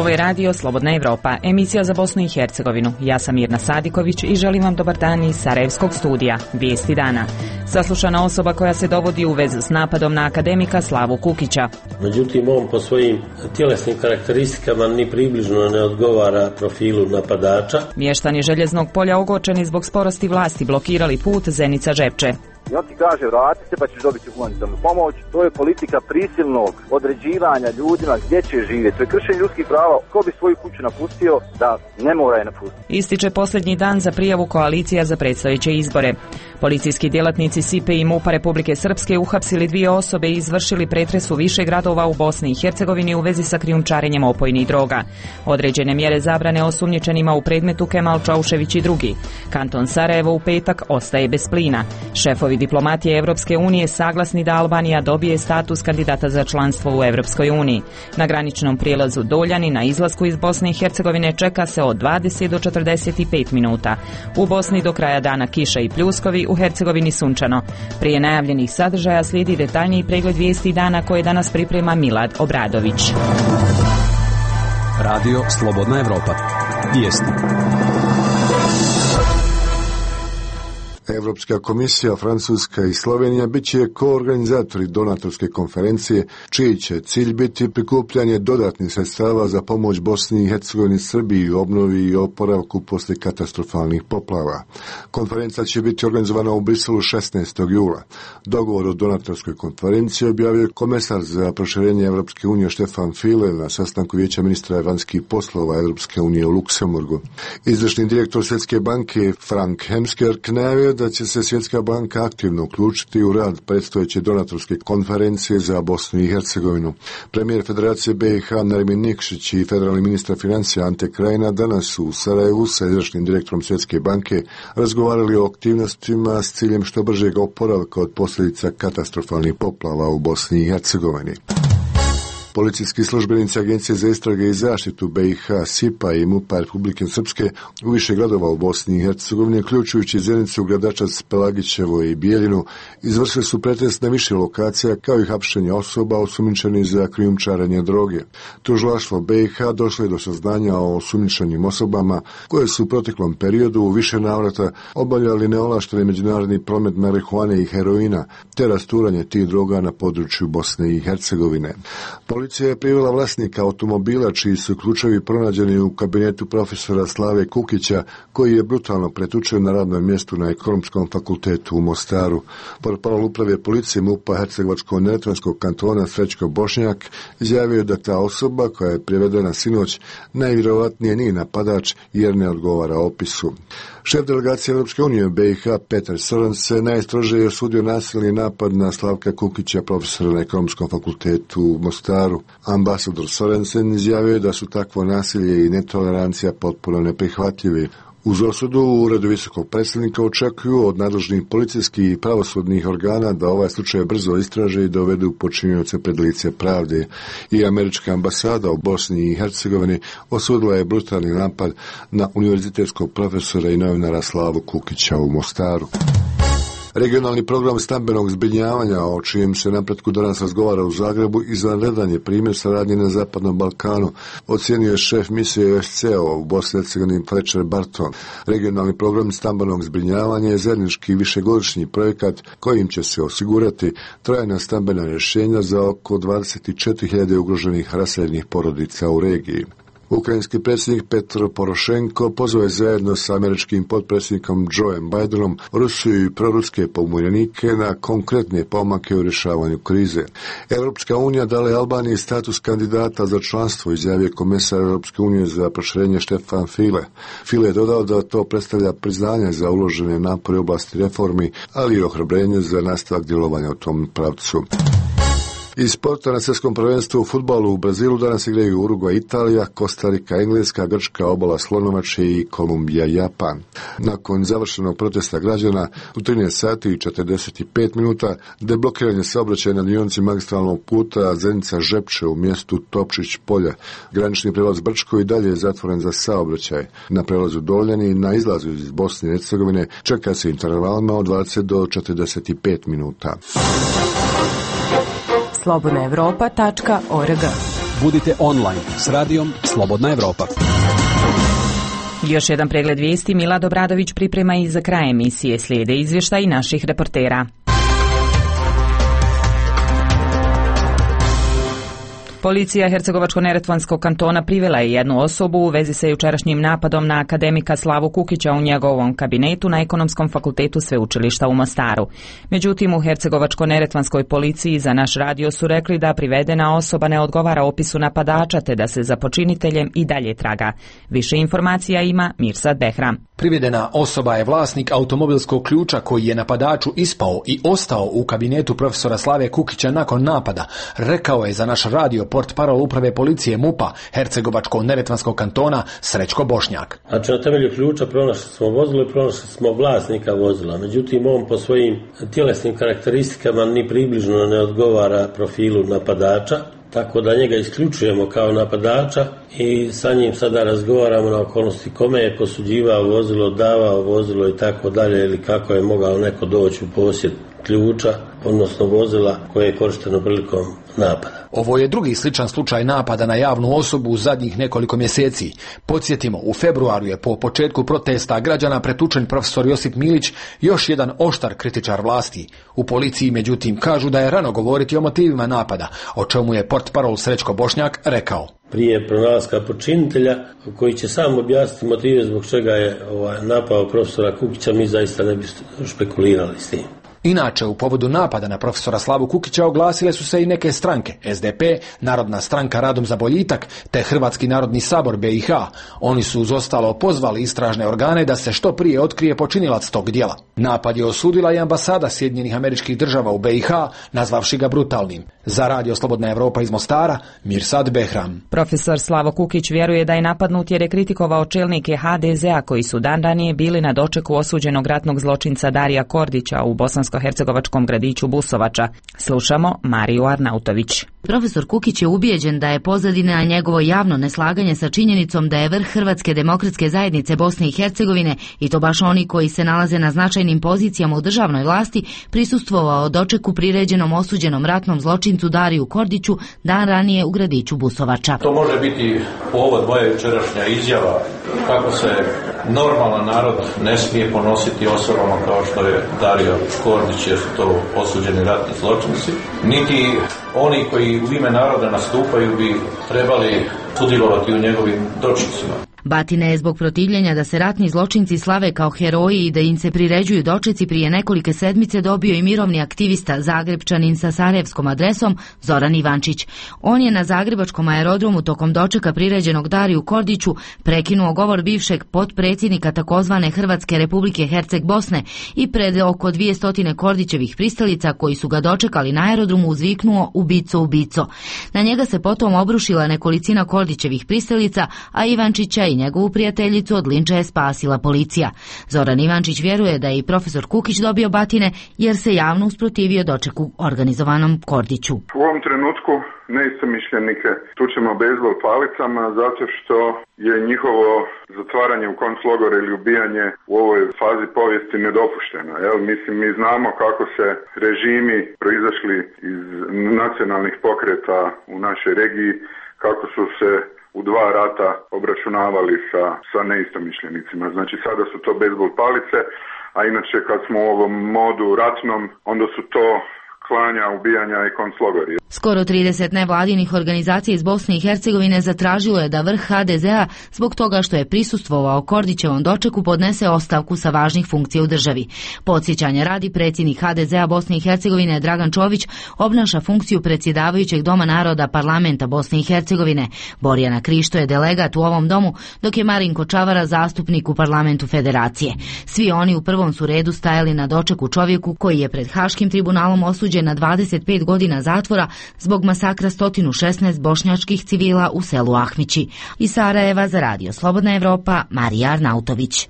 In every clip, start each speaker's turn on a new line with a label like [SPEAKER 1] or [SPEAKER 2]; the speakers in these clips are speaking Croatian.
[SPEAKER 1] Ovo je radio Slobodna Evropa, emisija za Bosnu i Hercegovinu. Ja sam Mirna Sadiković i želim vam dobar dan iz Sarajevskog studija. Vijesti dana. Saslušana osoba koja se dovodi u vez s napadom na akademika Slavu Kukića.
[SPEAKER 2] Međutim, on po svojim tjelesnim karakteristikama ni približno ne odgovara profilu napadača.
[SPEAKER 1] Mještani Željeznog polja ogorčeni zbog sporosti vlasti blokirali put Zenica-Žepče.
[SPEAKER 3] I on ti kaže vrati se pa ćeš dobiti humanitarnu pomoć. To je politika prisilnog određivanja ljudima gdje će živjeti. To je kršenje ljudskih prava. Ko bi svoju kuću napustio da ne mora je napustiti.
[SPEAKER 1] Ističe posljednji dan za prijavu koalicija za predstojeće izbore. Policijski djelatnici SIPE i MUP-a Republike Srpske uhapsili 2 osobe i izvršili pretres u više gradova u Bosni i Hercegovini u vezi sa krijumčarenjem opojnih droga. Određene mjere zabrane osumnjičenima u predmetu Kemal Čaušević i drugi. Kanton Sarajevo u petak ostaje bez plina. Šefovi diplomatije Evropske unije saglasni da Albanija dobije status kandidata za članstvo u Evropskoj uniji. Na graničnom prijelazu Doljani na izlasku iz Bosne i Hercegovine čeka se od 20 do 45 minuta. U Bosni do kraja dana kiša i pljuskovi, u Hercegovini sunčano. Prije najavljenih sadržaja slijedi detaljniji pregled vijesti dana koje danas priprema Milad Obradović.
[SPEAKER 4] Radio Slobodna Evropa. Vijesti.
[SPEAKER 5] Europska komisija, Francuska i Slovenija bit će koorganizatori donatorske konferencije, čiji će cilj biti prikupljanje dodatnih sredstava za pomoć Bosni i Hercegovini, Srbiji u obnovi i oporavku poslije katastrofalnih poplava. Konferencija će biti organizovana u Briselu 16. jula. Dogovor o donatorskoj konferenciji objavio komesar za proširenje Europske unije Stefan Füle na sastanku Vijeća ministra vanjskih poslova Europske unije u Luksemburgu. Izvršni direktor Svjetske banke Frank Hemskerk najavio da će se Svjetska banka aktivno uključiti u rad predstojeće donatorske konferencije za Bosnu i Hercegovinu. Premijer Federacije BiH Nermin Nikšić i federalni ministar financija Ante Krajina danas su u Sarajevu sa izvršnim direktorom Svjetske banke razgovarali o aktivnostima s ciljem što bržeg oporavka od posljedica katastrofalnih poplava u Bosni i Hercegovini. Policijski službenici Agencije za istrage i zaštitu BiH, SIPA i MUP-a Republike Srpske u više gradova u Bosni i Hercegovini, uključujući Zenicu, Gradačac, Pelagićevo i Bijeljinu, izvršili su pretres na više lokacija kao i hapšenje osoba osumnjičenih za krijumčarenje droge. Tužilaštvo BiH došlo je do saznanja o osumnjičenim osobama koje su u proteklom periodu u više navrata obavljali neovlašteni međunarodni promet marihuane i heroina te rasturanje tih droga na području Bosne i Hercegovine. Policija je privela vlasnika automobila čiji su ključevi pronađeni u kabinetu profesora Slave Kukića, koji je brutalno pretučen na radnom mjestu na Ekonomskom fakultetu u Mostaru. Portparol uprave policije MUP-a Hercegovačko-neretvanskog kantona Srećko Bošnjak izjavio da ta osoba koja je privedena sinoć najvjerojatnije nije napadač jer ne odgovara opisu. Šef delegacije Europske unije u BiH Petar Sorensen najstrože je osudio nasilni napad na Slavka Kukića, profesora na Ekonomskom fakultetu u Mostaru. Ambasador Sorensen izjavio da su takvo nasilje i netolerancija potpuno neprihvatljivi. Uz osudu u Uredu visokog predstavnika očekuju od nadležnih policijskih i pravosudnih organa da ovaj slučaj brzo istraže i dovedu počinioce pred lice pravde. I američka ambasada u Bosni i Hercegovini osudila je brutalni napad na univerzitetskog profesora i novinara Slavu Kukića u Mostaru. Regionalni program stambenog zbrinjavanja, o čijem se napretku danas razgovara u Zagrebu, izvanredan je primjer saradnje na Zapadnom Balkanu, ocijenio je šef misije OSCE u Bosni i Hercegovini Fletcher Barton. Regionalni program stambenog zbrinjavanja je zajednički višegodišnji projekat kojim će se osigurati trajna stambena rješenja za oko 24.000 ugroženih raseljenih porodica u regiji. Ukrajinski predsjednik Petro Porošenko pozvao je zajedno sa američkim potpredsjednikom Joeom Bidenom Rusiju i proruske pobunjenike na konkretne pomake u rješavanju krize. Europska unija dala je Albaniji status kandidata za članstvo, izjavio komesar Europske unije za proširenje Stefan Füle. Füle je dodao da to predstavlja priznanje za uložene napore u oblasti reformi, ali i ohrabrenje za nastavak djelovanja u tom pravcu. Iz sporta na svjetskom prvenstvu u fudbalu u Brazilu danas igraju Urugvaj, Italija, Kostarika, Engleska, Grčka, Obala Slonovače i Kolumbija, Japan. Nakon završenog protesta građana u 13 sati i 45 minuta deblokiranje saobraćaja na dionici magistralnog puta Zenica-Žepče u mjestu Topčić polja. Granični prijelaz Brčko i dalje je zatvoren za saobraćaj. Na prelazu Doljani na izlazu iz Bosne i Hercegovine čeka se intervalima od 20 do 45 minuta.
[SPEAKER 1] slobodnaevropa.org.
[SPEAKER 4] Budite online s radijom Slobodna Evropa.
[SPEAKER 1] Još jedan pregled vijesti Milad Obradović priprema i za kraj emisije. Slijede izvještaj naših reportera. Policija Hercegovačko-neretvanskog kantona privela je jednu osobu u vezi sa jučerašnjim napadom na akademika Slavu Kukića u njegovom kabinetu na Ekonomskom fakultetu sveučilišta u Mostaru. Međutim, u Hercegovačko-neretvanskoj policiji za naš radio su rekli da privedena osoba ne odgovara opisu napadača te da se za počiniteljem i dalje traga. Više informacija ima Mirsad Behram.
[SPEAKER 6] Privedena osoba je vlasnik automobilskog ključa koji je napadaču ispao i ostao u kabinetu profesora Slave Kukića nakon napada, rekao je za naš radio portparol uprave policije MUP-a Hercegovačko-neretvanskog kantona Srećko Bošnjak.
[SPEAKER 2] Znači, na temelju ključa pronašli smo vozilo i pronašli smo vlasnika vozila. Međutim, on po svojim tjelesnim karakteristikama ni približno ne odgovara profilu napadača, tako da njega isključujemo kao napadača i sa njim sada razgovaramo na okolnosti kome je posuđivao vozilo, davao vozilo i tako dalje, ili kako je mogao neko doći u posjed ključa, odnosno vozila koje je korišteno prilikom napada.
[SPEAKER 6] Ovo je drugi sličan slučaj napada na javnu osobu u zadnjih nekoliko mjeseci. Podsjetimo, u februaru je po početku protesta građana pretučen profesor Josip Milić, još jedan oštar kritičar vlasti. U policiji, međutim, kažu da je rano govoriti o motivima napada, o čemu je portparol Srećko Bošnjak rekao.
[SPEAKER 2] Prije pronalaska počinitelja, koji će sam objasniti motive zbog čega je napao profesora Kukića, mi zaista ne bi špekulirali s tim.
[SPEAKER 6] Inače, u povodu napada na profesora Slavu Kukića oglasile su se i neke stranke, SDP, Narodna stranka Radom za boljitak, te Hrvatski narodni sabor BiH. Oni su uz ostalo pozvali istražne organe da se što prije otkrije počinilac tog djela. Napad je osudila i ambasada Sjedinjenih Američkih Država u BiH, nazvavši ga brutalnim. Za radio Slobodna Evropa iz Mostara, Mirsad Behram.
[SPEAKER 1] Profesor Slavo Kukić vjeruje da je napadnut jer je kritikovao čelnike HDZ-a koji su dan ranije bili na dočeku osuđenog ratnog zločinca Darija Kordića u bosansko-hercegovačkom gradiću Busovača. Slušamo Mariju Arnautović.
[SPEAKER 7] Profesor Kukić je ubijeđen da je pozadina njegovo javno neslaganje sa činjenicom da je vrh Hrvatske demokratske zajednice Bosne i Hercegovine, i to baš oni koji se nalaze na značajnim pozicijama u državnoj vlasti, prisustvovao dočeku priređenom osuđenom ratnom zločincu Dariju Kordiću dan ranije u gradiću Busovača.
[SPEAKER 8] To može biti povod moja jučerašnja izjava kako se normalan narod ne smije ponositi osobama kao što je Dario Kordić, jer su to osuđeni ratni zločinci, niti oni koji u ime naroda nastupaju bi trebali sudjelovati u njegovim dočecima.
[SPEAKER 7] Batina je zbog protivljenja da se ratni zločinci slave kao heroji i da im se priređuju dočeci prije nekolike sedmice dobio i mirovni aktivista Zagrebčanin sa sarajevskom adresom Zoran Ivančić. On je na zagrebačkom aerodromu tokom dočeka priređenog Dariju Kordiću prekinuo govor bivšeg potpredsjednika takozvane Hrvatske Republike Herceg Bosne i pred oko 200 Kordićevih pristalica koji su ga dočekali na aerodromu uzviknuo ubico, ubico. Na njega se potom obrušila nekolicina Kordićevih pristalica, a Ivančića i njegovu prijateljicu od linča je spasila policija. Zoran Ivančić vjeruje da je i profesor Kukić dobio batine jer se javno usprotivio dočeku organizovanom Kordiću.
[SPEAKER 9] U ovom trenutku neistomišljenike tučemo bejzbol palicama zato što je njihovo zatvaranje u konclogore ili ubijanje u ovoj fazi povijesti nedopušteno. Mislim, mi znamo kako se režimi proizašli iz nacionalnih pokreta u našoj regiji, kako su se u dva rata obračunavali sa neistomišljenicima. Znači, sada su to bejzbol palice, a inače kad smo u ovom modu ratnom, onda su to klanja, ubijanja i konclogori.
[SPEAKER 7] Skoro 30 nevladinih organizacija iz Bosne i Hercegovine zatražilo je da vrh HDZ-a zbog toga što je prisustvovao Kordićevom dočeku podnese ostavku sa važnih funkcija u državi. Podsjećanja radi, predsjednik HDZ-a Bosne i Hercegovine Dragan Čović obnaša funkciju predsjedavajućeg Doma naroda Parlamenta Bosne i Hercegovine. Borjana Krišto je delegat u ovom domu, dok je Marinko Čavara zastupnik u Parlamentu Federacije. Svi oni u prvom su redu stajali na dočeku čovjeku koji je pred Haškim tribunalom osuđen na 25 godina zatvora zbog masakra 116 bošnjačkih civila u selu Ahmići. Iz Sarajeva za radio Slobodna Evropa, Marija Arnautović.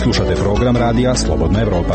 [SPEAKER 4] Slušate program radija Slobodna Evropa.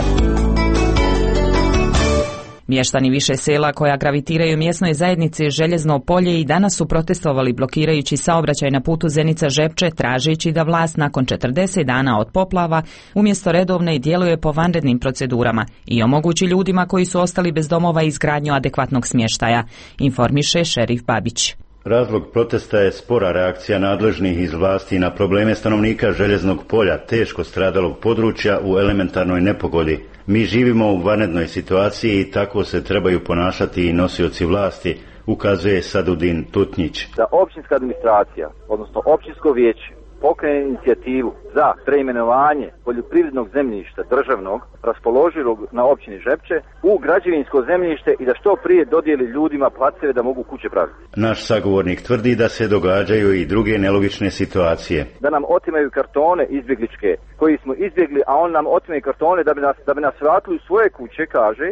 [SPEAKER 1] Mještani više sela koja gravitiraju mjesnoj zajednici Željezno polje i danas su protestovali blokirajući saobraćaj na putu Zenica-Žepče, tražeći da vlast nakon 40 dana od poplava umjesto redovne djeluje po vanrednim procedurama i omogući ljudima koji su ostali bez domova izgradnju adekvatnog smještaja, informiše šerif Babić.
[SPEAKER 10] Razlog protesta je spora reakcija nadležnih iz vlasti na probleme stanovnika Željeznog polja, teško stradalog područja u elementarnoj nepogodi. Mi živimo u vanrednoj situaciji i tako se trebaju ponašati i nosioci vlasti, ukazuje Sadudin Tutnjić.
[SPEAKER 3] Da općinska administracija, odnosno općinsko vijeće, pokrene inicijativu za preimenovanje poljoprivrednog zemljišta državnog raspoloživog na općini Žepče u građevinsko zemljište i da što prije dodijeli ljudima placeve da mogu kuće praviti.
[SPEAKER 10] Naš sagovornik tvrdi da se događaju i druge nelogične situacije.
[SPEAKER 3] Da nam otimaju kartone izbjegličke koji smo izbjegli, a on nam otimaju kartone da bi nas vratili u svoje kuće, kaže,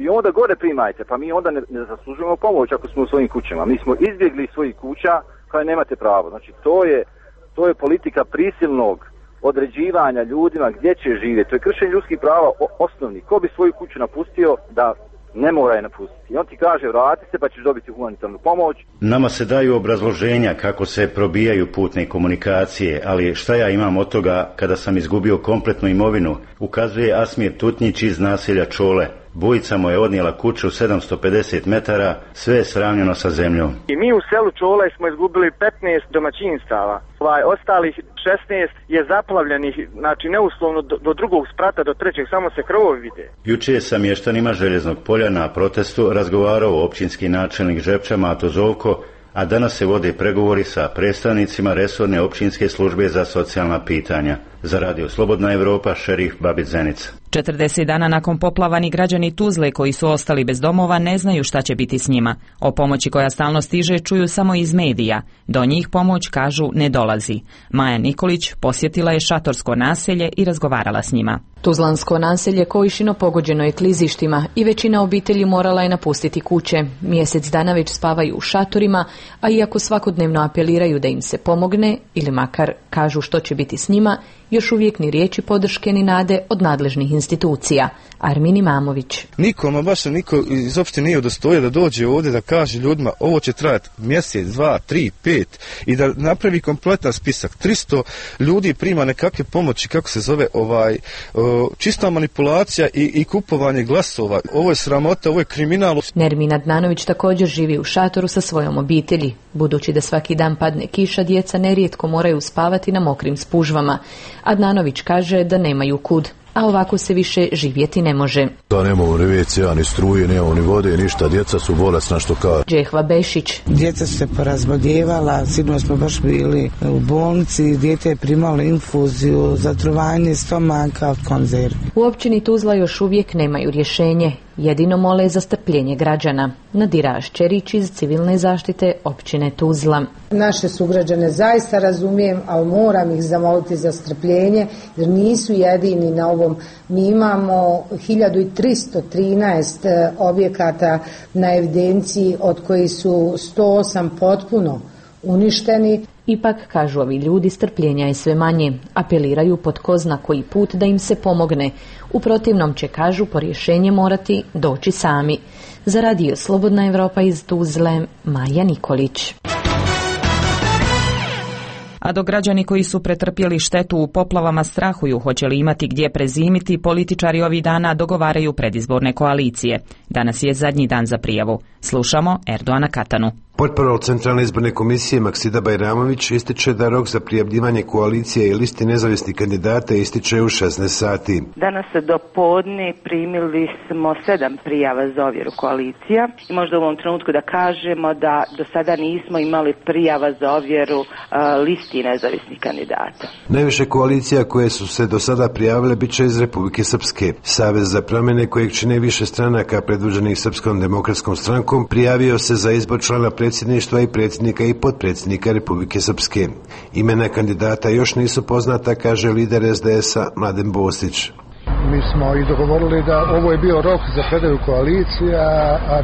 [SPEAKER 3] i onda gore primajte, pa mi onda ne zaslužujemo pomoć ako smo u svojim kućama. Mi smo izbjegli iz svojih kuća, kao nemate pravo. Znači to je politika prisilnog određivanja ljudima gdje će živjeti. To je kršenje ljudskih prava osnovni. Ko bi svoju kuću napustio da ne mora je napustiti? I on ti kaže vrati se pa ćeš dobiti humanitarnu pomoć.
[SPEAKER 10] Nama se daju obrazloženja kako se probijaju putne komunikacije, ali šta ja imam od toga kada sam izgubio kompletnu imovinu, ukazuje Asmir Tutnjić iz naselja Čole. Bujica mu je odnijela kuću 750 metara, sve je sravnjeno sa zemljom.
[SPEAKER 11] I mi u selu Čole smo izgubili 15 domaćinstava. Ostalih 16 je zaplavljenih, znači neuslovno do drugog sprata, do trećeg, samo se krovovi vide.
[SPEAKER 10] Juče je sa mještanima Željeznog polja na protestu razgovarao općinski načelnik Žepča Mato Zovko, a danas se vode pregovori sa predstavnicima resorne općinske službe za socijalna pitanja. Za Radio Slobodna Evropa, šerif Babić Zenica.
[SPEAKER 1] 40 dana nakon poplava ni građani Tuzle koji su ostali bez domova ne znaju šta će biti s njima. O pomoći koja stalno stiže čuju samo iz medija. Do njih pomoć, kažu, ne dolazi. Maja Nikolić posjetila je šatorsko naselje i razgovarala s njima.
[SPEAKER 12] Tuzlansko naselje Kojišino pogođeno je klizištima i većina obitelji morala je napustiti kuće. Mjesec dana već spavaju u šatorima, a iako svakodnevno apeliraju da im se pomogne ili makar kažu što će biti s njima, još uvijek ni riječi podrške ni nade od nadležnih institucija. Armin Imamović.
[SPEAKER 13] Niko iz opštine nije udostojio da dođe ovdje da kaže ljudima ovo će trajati mjesec, 2, 3, 5 i da napravi kompletan spisak. 300 ljudi prima nekakve pomoći, kako se zove, čista manipulacija i kupovanje glasova. Ovo je sramota, ovo je kriminal.
[SPEAKER 12] Nermin Adnanović također živi u šatoru sa svojom obitelji. Budući da svaki dan padne kiša, djeca nerijetko moraju spavati na mokrim spužvama. Adnanović kaže da nemaju kud, a ovako se više živjeti ne može.
[SPEAKER 14] Da nemamo ni WC-a, ni struje, nemamo ni vode, ništa, djeca su bolesna što kaže.
[SPEAKER 12] Džehva Bešić.
[SPEAKER 15] Djeca su se porazboljevala, sinoć smo baš bili u bolnici, dijete je primalo infuziju, zatrovanje stomaka od konzerve.
[SPEAKER 12] U općini Tuzla još uvijek nemaju rješenje. Jedino mole za strpljenje građana. Nadira Šćerić iz civilne zaštite općine Tuzla.
[SPEAKER 16] Naše sugrađane zaista razumijem, ali moram ih zamoliti za strpljenje jer nisu jedini na ovom. Mi imamo 1313 objekata na evidenciji od kojih su 108 potpuno uništeni.
[SPEAKER 12] Ipak, kažu ovi ljudi, strpljenja je sve manje. Apeliraju pod ko zna koji put da im se pomogne. U protivnom će, kažu, po rješenje morati doći sami. Za Radio Slobodna Evropa iz Tuzle, Maja Nikolić.
[SPEAKER 1] A dok građani koji su pretrpjeli štetu u poplavama strahuju hoće li imati gdje prezimiti, političari ovih dana dogovaraju predizborne koalicije. Danas je zadnji dan za prijavu. Slušamo Erdoana Katanu.
[SPEAKER 17] Portparol Centralne izborne komisije Maksida Bajramović ističe da rok za prijavljivanje koalicije i listi nezavisnih kandidata ističe u 16 sati.
[SPEAKER 18] Danas do podne primili smo 7 prijava za ovjeru koalicija i možda u ovom trenutku da kažemo da do sada nismo imali prijava za ovjeru listi nezavisnih kandidata.
[SPEAKER 17] Najviše koalicija koje su se do sada prijavile bit će iz Republike Srpske. Savez za promjene kojeg čine više stranaka predvođenih Srpskom demokratskom strankom prijavio se za izbor člana predsjedništva i predsjednika i potpredsjednika Republike Srpske. Imena kandidata još nisu poznata, kaže lider SDS-a Mladen Bosić.
[SPEAKER 19] Mi smo i dogovorili da ovo je bio rok za predaju koalicija, a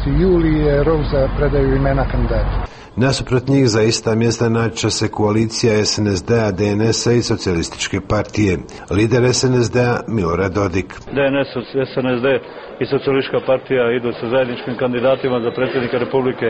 [SPEAKER 19] 14. juli je rok za predaju imena kandidata.
[SPEAKER 17] Nasuprot njih za ista mjesta naći će se koalicija SNSD-a, DNS-a i Socijalističke partije. Lider SNSD-a Milorad Dodik.
[SPEAKER 20] DNS, SNSD i Socijalistička partija idu sa zajedničkim kandidatima za predsjednika Republike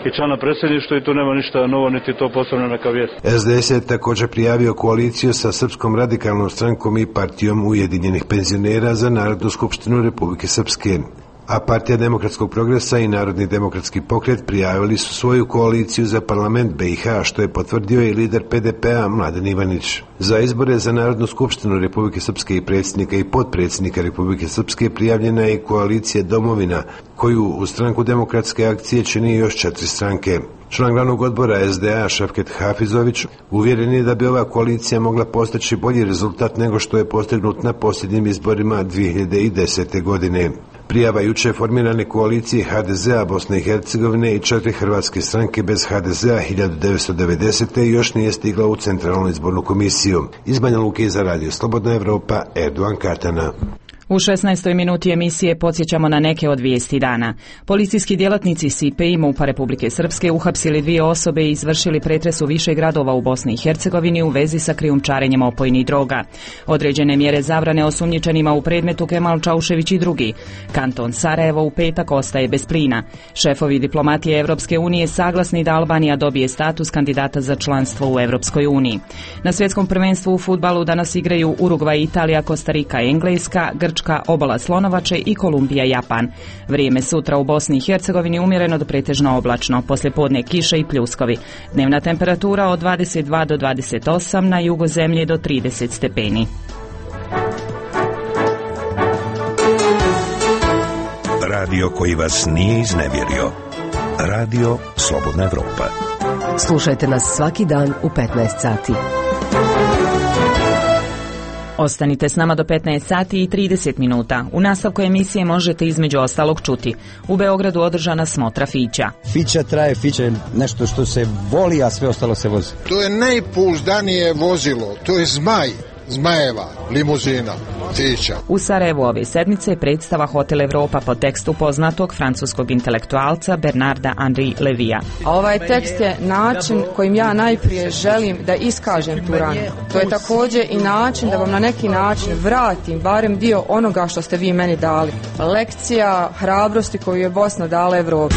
[SPEAKER 20] i člana predsjedništva i tu nema ništa novo, niti to posebno neka vijest.
[SPEAKER 17] SDS je također prijavio koaliciju sa Srpskom radikalnom strankom i partijom Ujedinjenih penzionera za Narodnu skupštinu Republike Srpske. A Partija demokratskog progresa i Narodni demokratski pokret prijavili su svoju koaliciju za parlament BiH, što je potvrdio i lider PDP-a Mladen Ivanić. Za izbore za Narodnu skupštinu Republike Srpske i predsjednika i potpredsjednika Republike Srpske prijavljena je i koalicija Domovina, koju u stranku demokratske akcije čini još 4 stranke. Član glavnog odbora SDA Šefket Hafizović uvjeren je da bi ova koalicija mogla postići bolji rezultat nego što je postignut na posljednjim izborima 2010. godine. Prijava juče formirane koalicije HDZ-a Bosne i Hercegovine i 4 hrvatske stranke bez HDZ-a 1990. još nije stigla u Centralnu izbornu komisiju. Iz Banja Luke za Radio Slobodna Evropa, Erdogan Katana.
[SPEAKER 1] U 16. minuti emisije podsjećamo na neke od vijesti dana. Policijski djelatnici SIPE i MUP-a Republike Srpske uhapsili 2 osobe i izvršili pretres u više gradova u Bosni i Hercegovini u vezi sa krijumčarenjem opojnih droga. Određene mjere zabrane osumnjičenima u predmetu Kemal Čaušević i drugi. Kanton Sarajevo u petak ostaje bez plina. Šefovi diplomatije Evropske unije saglasni da Albanija dobije status kandidata za članstvo u Evropskoj uniji. Na svjetskom prvenstvu u fudbalu danas igraju Urugvaj, Italija, Kostarika, Engleska, Grčka, Obala Slonovače i Kolumbija, Japan. Vrijeme sutra u Bosni i Hercegovini umjereno do pretežno oblačno, poslijepodne kiše i pljuskovi. Dnevna temperatura od 22 do 28, na jugu zemlje do 30 stepeni.
[SPEAKER 21] Radio koji vas nije iznevjerio. Radio Slobodna Evropa.
[SPEAKER 22] Slušajte nas svaki dan u 15 sati.
[SPEAKER 1] Ostanite s nama do 15 sati i 30 minuta. U nastavku emisije možete između ostalog čuti. U Beogradu održana smotra fića.
[SPEAKER 23] Fića traje, fića je nešto što se voli, a sve ostalo se vozi.
[SPEAKER 24] To je najpouzdanije vozilo, to je Zmajeva limuzina, fića.
[SPEAKER 1] U Sarajevu ove sedmice predstava Hotel Evropa po tekstu poznatog francuskog intelektualca Bernarda Henri Levija.
[SPEAKER 25] A ovaj tekst je način kojim ja najprije želim da iskažem tu ranu. To je također i način da vam na neki način vratim barem dio onoga što ste vi meni dali. Lekcija hrabrosti koju je Bosna dala Evropi.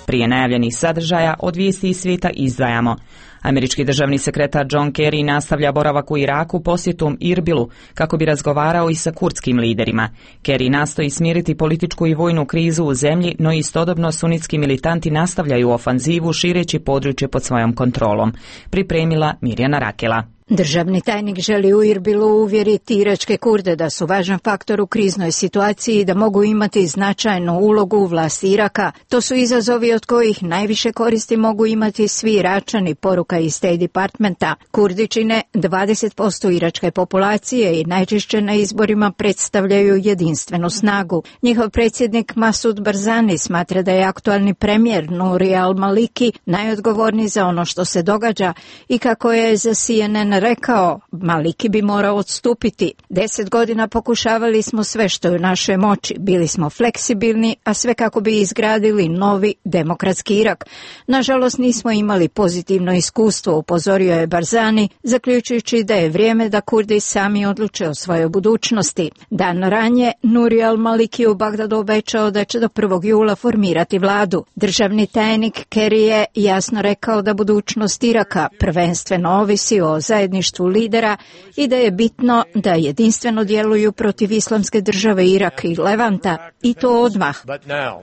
[SPEAKER 1] Prije najavljenih sadržaja od vijesti iz svijeta izdvajamo. Američki državni sekretar John Kerry nastavlja boravak u Iraku posjetom Irbilu kako bi razgovarao i sa kurdskim liderima. Kerry nastoji smiriti političku i vojnu krizu u zemlji, no istodobno sunitski militanti nastavljaju ofanzivu šireći područje pod svojom kontrolom. Pripremila Mirjana Rakela.
[SPEAKER 26] Državni tajnik želi u Irbilu uvjeriti iračke Kurde da su važan faktor u kriznoj situaciji i da mogu imati značajnu ulogu u vlasti Iraka. To su izazovi od kojih najviše koristi mogu imati svi Iračani, poruka iz State Departmenta. Kurdi čine 20% iračke populacije i najčešće na izborima predstavljaju jedinstvenu snagu. Njihov predsjednik Masud Barzani smatra da je aktualni premijer Nouri al-Maliki najodgovorniji za ono što se događa i kako je za CNN rekao, Maliki bi morao odstupiti. 10 godina pokušavali smo sve što je u našoj moći. Bili smo fleksibilni, a sve kako bi izgradili novi demokratski Irak. Nažalost, nismo imali pozitivno iskustvo, upozorio je Barzani, zaključujući da je vrijeme da Kurdi sami odluče o svojoj budućnosti. Dan ranije, Nouri al-Maliki u Bagdadu obećao da će do 1. jula formirati vladu. Državni tajnik Kerry je jasno rekao da budućnost Iraka prvenstveno ovisi o zajedništvu lidera i da je bitno da jedinstveno djeluju protiv Islamske države Iraka i Levanta, i to odmah.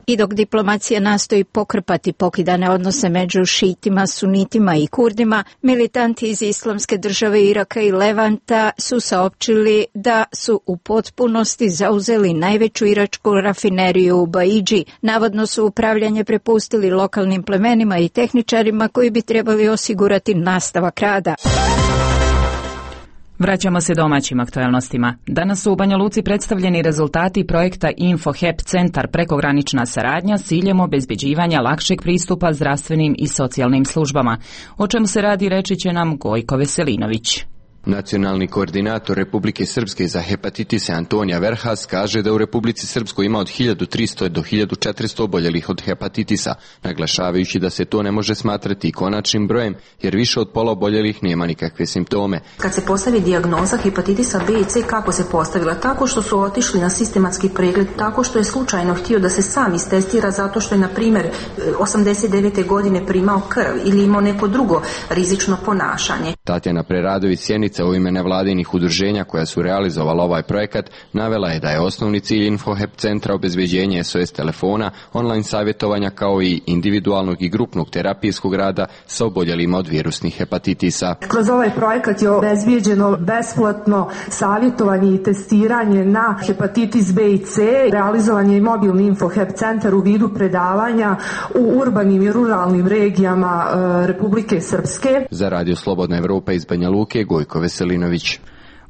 [SPEAKER 26] I dok diplomacija nastoji pokrpati pokidane odnose među šitima, sunitima i kurdima, militanti iz Islamske države Iraka i Levanta su saopćili da su u potpunosti zauzeli najveću iračku rafineriju u Baidži. Navodno su upravljanje prepustili lokalnim plemenima i tehničarima koji bi trebali osigurati nastavak rada.
[SPEAKER 1] Vraćamo se domaćim aktualnostima. Danas su u Banja Luci predstavljeni rezultati projekta InfoHep centar prekogranična saradnja s ciljem obezbeđivanja lakšeg pristupa zdravstvenim i socijalnim službama. O čemu se radi reći će nam Gojko Veselinović.
[SPEAKER 2] Nacionalni koordinator Republike Srpske za hepatitise Antonija Verhas kaže da u Republici Srpskoj ima od 1300 do 1400 oboljelih od hepatitisa, naglašavajući da se to ne može smatrati konačnim brojem jer više od pola oboljelih nema nikakve simptome.
[SPEAKER 5] Kad se postavi dijagnoza hepatitisa B i C, kako se postavila? Tako što su otišli na sistematski pregled, tako što je slučajno htio da se sam istestira zato što je, na primjer, 89. godine primao krv ili imao neko drugo rizično ponašanje.
[SPEAKER 2] Tatjana Preradović Sjenica u ime nevladinih udruženja koja su realizovala ovaj projekat navela je da je osnovni cilj InfoHep centra obezbeđenje SOS telefona, online savjetovanja kao i individualnog i grupnog terapijskog rada sa oboljelima od virusnih hepatitisa.
[SPEAKER 6] Kroz ovaj projekat je obezbeđeno besplatno savjetovanje i testiranje na hepatitis B i C, realizovan je i mobilni InfoHep centar u vidu predavanja u urbanim i ruralnim regijama Republike Srpske.
[SPEAKER 2] Za Radio Slobodna Evropa iz Banja Luke, Gojko Veselinović.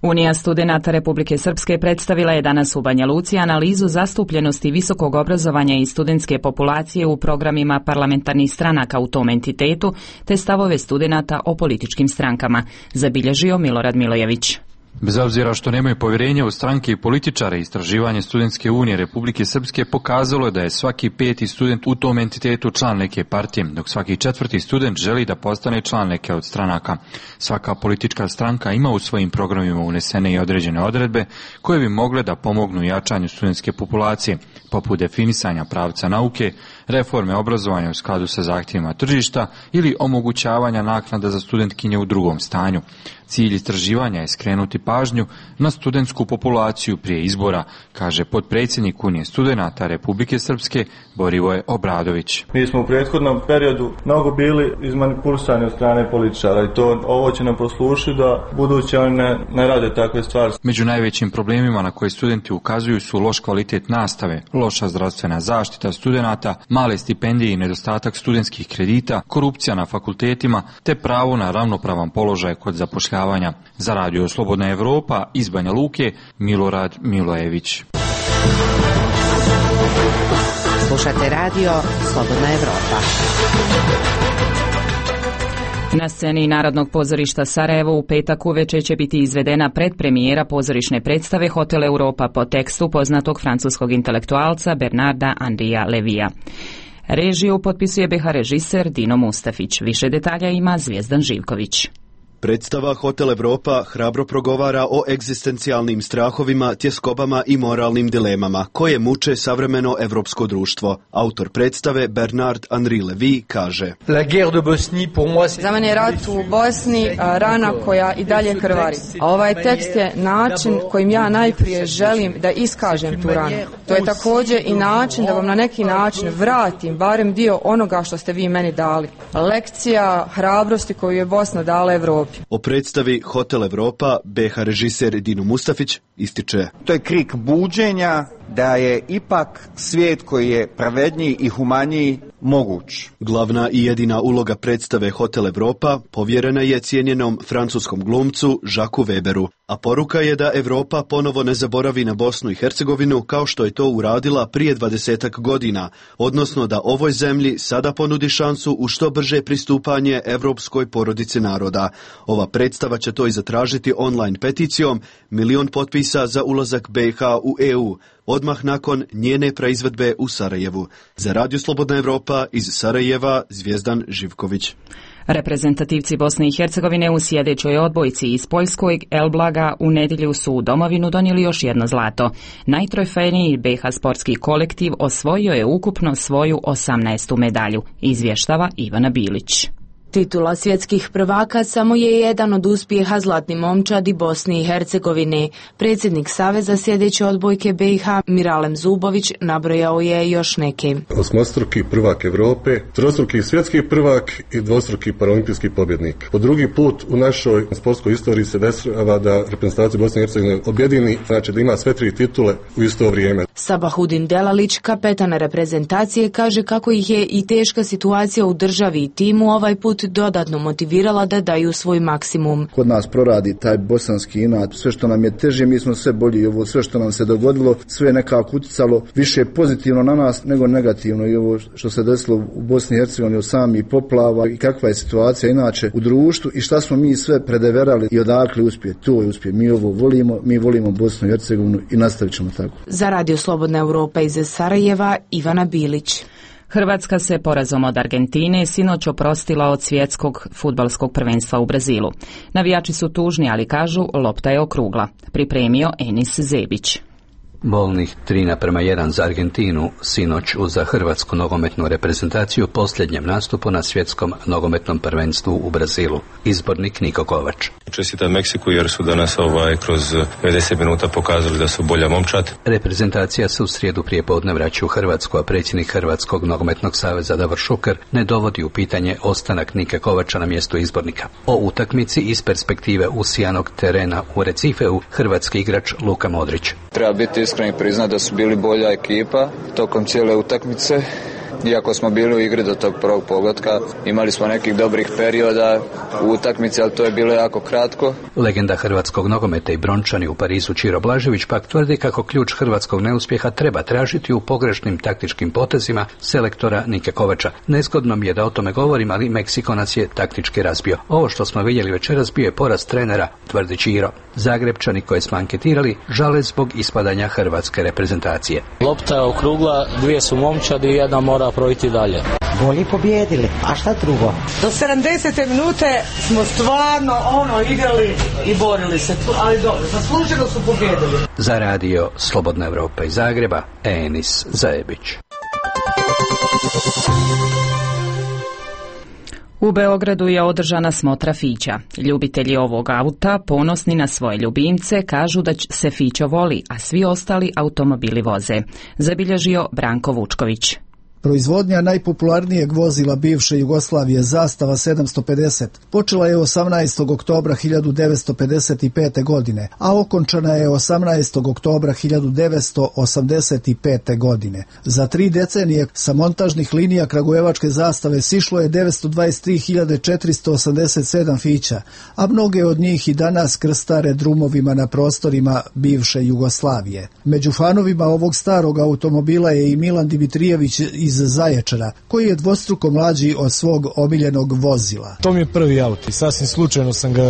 [SPEAKER 1] Unija studenata Republike Srpske predstavila je danas u Banja Luci analizu zastupljenosti visokog obrazovanja i studentske populacije u programima parlamentarnih stranaka u tom entitetu, te stavove studenata o političkim strankama, zabilježio Milorad Milojević.
[SPEAKER 7] Bez obzira što nemaju povjerenja u stranke i političare, istraživanje Studentske unije Republike Srpske pokazalo je da je svaki 5. student u tom entitetu član neke partije, dok svaki 4. student želi da postane član neke od stranaka. Svaka politička stranka ima u svojim programima unesene i određene odredbe koje bi mogle da pomognu jačanju studentske populacije, poput definisanja pravca nauke, reforme obrazovanja u skladu sa zahtjevima tržišta ili omogućavanja naknada za studentkinje u drugom stanju. Cilj istraživanja je skrenuti pažnju na studentsku populaciju prije izbora, kaže potpredsjednik Unije studenata Republike Srpske Borivoje Obradović.
[SPEAKER 8] Mi smo u prethodnom periodu mnogo bili izmanipulisani od strane političara i ovo će nam poslušiti da buduće oni ne rade takve stvari.
[SPEAKER 7] Među najvećim problemima na koje studenti ukazuju su loš kvalitet nastave, loša zdravstvena zaštita studenata, male stipendije i nedostatak studentskih kredita, korupcija na fakultetima te pravo na ravnopravan položaj kod zapošljavanja. Za Radio Slobodna Evropa iz Banja Luke, Milorad Milojević.
[SPEAKER 9] Slušate Radio Slobodna Evropa.
[SPEAKER 1] Na sceni Narodnog pozorišta Sarajevo u petak uveče će biti izvedena predpremijera pozorišne predstave Hotel Europa po tekstu poznatog francuskog intelektualca Bernarda Henria Levija. Režiju potpisuje BiH režiser Dino Mustafić. Više detalja ima Zvijezdan Živković.
[SPEAKER 27] Predstava Hotel Europa hrabro progovara o egzistencijalnim strahovima, tjeskobama i moralnim dilemama koje muče savremeno evropsko društvo. Autor predstave Bernard Henri Levy kaže:
[SPEAKER 25] Za mene je rat u Bosni rana koja i dalje krvari. A ovaj tekst je način kojim ja najprije želim da iskažem tu ranu. To je također i način da vam na neki način vratim barem dio onoga što ste vi meni dali. Lekcija hrabrosti koju je Bosna dala Evropi.
[SPEAKER 27] O predstavi Hotel Europa BiH režiser Dino Mustafić ističe:
[SPEAKER 28] To je krik buđenja da je ipak svijet koji je pravedniji i humaniji moguć.
[SPEAKER 27] Glavna i jedina uloga predstave Hotel Europa povjerena je cijenjenom francuskom glumcu Jacques Weberu, a poruka je da Europa ponovo ne zaboravi na Bosnu i Hercegovinu kao što je to uradila prije 20 godina, odnosno da ovoj zemlji sada ponudi šansu u što brže pristupanje evropskoj porodici naroda. Ova predstava će to i zatražiti online peticijom 1 milion potpisa za ulazak BiH u EU, odmah nakon njene proizvedbe u Sarajevu. Za Radio Slobodna Evropa iz Sarajeva, Zvijezdan Živković.
[SPEAKER 1] Reprezentativci Bosne i Hercegovine u sjedećoj odbojci iz Poljskog Elblaga u nedjelju su u domovinu donijeli još jedno zlato. Najtrofejniji BiH sportski kolektiv osvojio je ukupno svoju 18. medalju, izvještava Ivana Bilić.
[SPEAKER 29] Titula svjetskih prvaka samo je jedan od uspjeha zlatni momčadi Bosne i Hercegovine. Predsjednik Saveza sjedeće odbojke BiH Miralem Zubović nabrojao je još neke.
[SPEAKER 30] Osmostruki prvak Europe, trostruki svjetski prvak i dvostruki paraolimpijski pobjednik. Po drugi put u našoj sportskoj istoriji se dešava da reprezentacija Bosne i Hercegovine objedini, znači da ima sve 3 titule u isto vrijeme.
[SPEAKER 29] Sabahudin Delalić, kapetan reprezentacije, kaže kako ih je i teška situacija u državi i timu ovaj put put dodatno motivirala da daju svoj maksimum.
[SPEAKER 3] Kod nas proradi taj bosanski inat, sve što nam je teže, mi smo sve bolji. Ovo sve što nam se dogodilo, sve je nekako uticalo više pozitivno na nas nego negativno. I ovo što se desilo u Bosni i Hercegovini od samih poplava i kakva je situacija inače u društvu i šta smo mi sve predeverali i odakle uspije. To je uspije. Mi ovo volimo, mi volimo Bosnu i Hercegovinu i nastavit ćemo tako.
[SPEAKER 29] Za Radio Slobodna Europa iz Sarajeva, Ivana Bilić.
[SPEAKER 1] Hrvatska se porazom od Argentine sinoć oprostila od svjetskog fudbalskog prvenstva u Brazilu. Navijači su tužni, ali kažu lopta je okrugla. Pripremio Enis Zebić.
[SPEAKER 4] Bolnih 3:1 za Argentinu sinoć za hrvatsku nogometnu reprezentaciju posljednjem nastupu na svjetskom nogometnom prvenstvu u Brazilu. Izbornik Niko Kovač.
[SPEAKER 10] Čestitam Meksiku jer su danas kroz 90 minuta pokazali da su bolja momčad.
[SPEAKER 4] Reprezentacija se u srijedu prijepodne vraća u Hrvatsku, a predsjednik Hrvatskog nogometnog saveza Davor Šuker ne dovodi u pitanje ostanak Nike Kovača na mjestu izbornika. O utakmici iz perspektive usijanog terena u Recifeu hrvatski igrač Luka Modrić.
[SPEAKER 11] Treba biti iskreni priznati da su bili bolja ekipa tokom cijele utakmice. Iako smo bili u igri do tog prvog pogotka, imali smo nekih dobrih perioda u utakmici, ali to je bilo jako kratko.
[SPEAKER 4] Legenda hrvatskog nogometa i brončani u Parizu Čiro Blažević pak tvrdi kako ključ hrvatskog neuspjeha treba tražiti u pogrešnim taktičkim potezima selektora Nike Kovača. Nezgodno mi je da o tome govorim, ali Meksiko nas je taktički razbio. Ovo što smo vidjeli večeras bio je poraz trenera, tvrdi Čiro. Zagrebčani koje smo anketirali žale zbog ispadanja hrvatske reprezentacije.
[SPEAKER 12] Lopta je okrugla, dvije su momčadi i jedna mora projiti dalje.
[SPEAKER 13] Bolji pobjedili, a šta drugo?
[SPEAKER 14] Do 70. minute smo stvarno igrali i borili se, ali dobro, zasluženo su pobjedili.
[SPEAKER 4] Za Radio Slobodna Europa iz Zagreba, Enis Zajebić.
[SPEAKER 1] U Beogradu je održana smotra Fića. Ljubitelji ovog auta, ponosni na svoje ljubimce, kažu da se Fićo voli, a svi ostali automobili voze. Zabilježio Branko Vučković.
[SPEAKER 15] Proizvodnja najpopularnijeg vozila bivše Jugoslavije, Zastava 750, počela je 18. oktobra 1955. godine, a okončana je 18. oktobra 1985. godine. Za 3 decenije sa montažnih linija kragujevačke Zastave sišlo je 923.487 Fića, a mnoge od njih i danas krstare drumovima na prostorima bivše Jugoslavije. Među fanovima ovog starog automobila je i Milan Dimitrijević iz Zaječara, koji je dvostruko mlađi od svog omiljenog vozila.
[SPEAKER 16] To mi je prvi auto i sasvim slučajno sam ga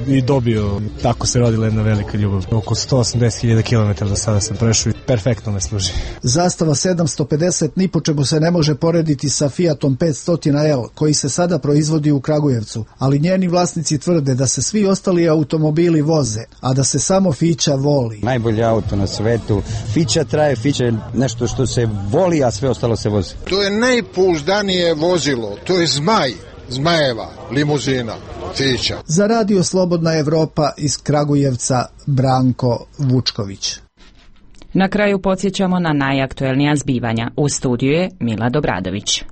[SPEAKER 16] i dobio. Tako se rodila jedna velika ljubav. Oko 180.000 km do sada sam prešao i perfektno me služi.
[SPEAKER 15] Zastava 750 ni po čemu se ne može porediti sa Fiatom 500L, koji se sada proizvodi u Kragujevcu, ali njeni vlasnici tvrde da se svi ostali automobili voze, a da se samo Fića voli.
[SPEAKER 23] Najbolji auto na svetu. Fića traje, Fića je nešto što se voli, a sve ostalo se vozi.
[SPEAKER 24] To je najpouzdanije vozilo, to je Zmajeva limuzina, Fića.
[SPEAKER 15] Za Radio Slobodna Europa iz Kragujevca, Branko Vučković.
[SPEAKER 1] Na kraju podsjećamo na najaktuelnija zbivanja. U studiju je Mila Dobradović.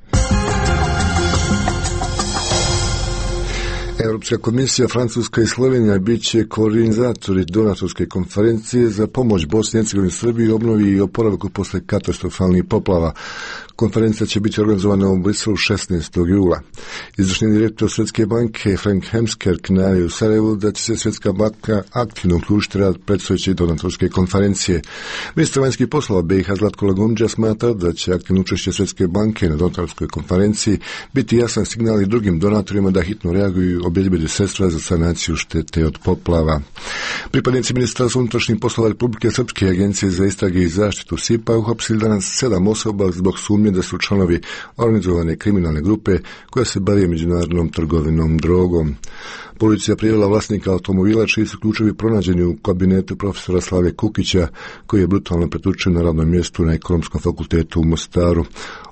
[SPEAKER 18] Europska komisija, Francuska i Slovenija bit će koordinatori donatorske konferencije za pomoć Bosni i Hercegovini, Srbiji, obnovi i oporavku posle katastrofalnih poplava. Konferencija će biti organizovana u Briselu 16. jula. Izvršni direktor Svjetske banke Frank Hemskerk najavio u Sarajevu da će se Svjetska banka aktivno uključiti rad predstojeće donatorske konferencije. Ministar vanjskih poslova BiH Zlatko Lagundžija smatra da će aktivno učešće Svjetske banke na donatorskoj konferenciji biti jasan signal i drugim donatorima da hitno reaguju i obezbede sredstva za sanaciju štete od poplava. Pripadnici Ministarstva unutrašnjih poslova Republike Srpske i Agencije za istrage i zaštitu SIPA uhapsili danas 7 osoba zbog sumnje da su članovi organizovane kriminalne grupe koja se bavi međunarodnom trgovinom drogom. Policija prijavila vlasnika automobila čiji su ključevi pronađeni u kabinetu profesora Slave Kukića, koji je brutalno pretučen na radnom mjestu na Ekonomskom fakultetu u Mostaru.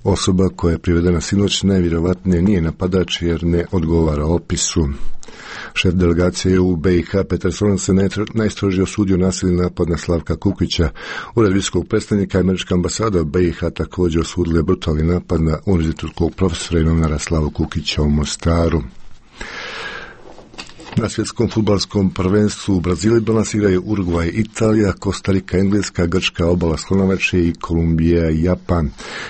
[SPEAKER 18] Osoba koja je privedena sinoć najvjerovatnije nije napadač jer ne odgovara opisu. Šef delegacije u BiH Petar Solon se najstrožije osudio nasilni napad na Slavka Kukića. Ured visokog predstavnika američka ambasada BiH također osudila brutalni napad na univerzitetskog profesora i novinara Slavu Kukića u Mostaru. Na svjetskom fudbalskom prvenstvu u Brazilu danas igraju Urugvaj, Italija, Kostarika, Engleska, Grčka, Obala Slonovače i Kolumbija i Japan.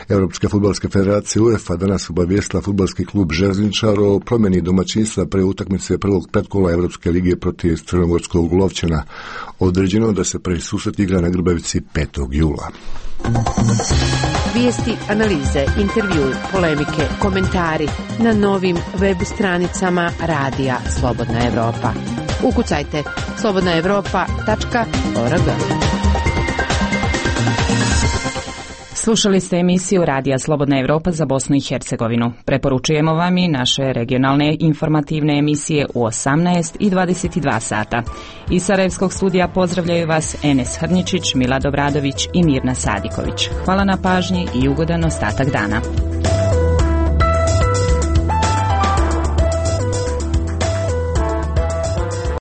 [SPEAKER 18] Europska fudbalska federacija UEFA danas obavijestila fudbalski klub Željezničar o promjeni domaćinstva pre utakmice prvog pretkola Europske lige protiv crnogorskog Lovćana. Određeno da se prvi susret igra na Grbavici 5. jula.
[SPEAKER 9] Vijesti, analize, intervju, polemike, komentari na novim web stranicama Radija Slobodna Evropa. Ukucajte slobodnaevropa.org.
[SPEAKER 1] Slušali ste emisiju Radija Slobodna Evropa za Bosnu i Hercegovinu. Preporučujemo vam i naše regionalne informativne emisije u 18 i 22 sata. Iz Sarajevskog studija pozdravljaju vas Enes Hrničić, Milad Obradović i Mirna Sadiković. Hvala na pažnji i ugodan ostatak dana.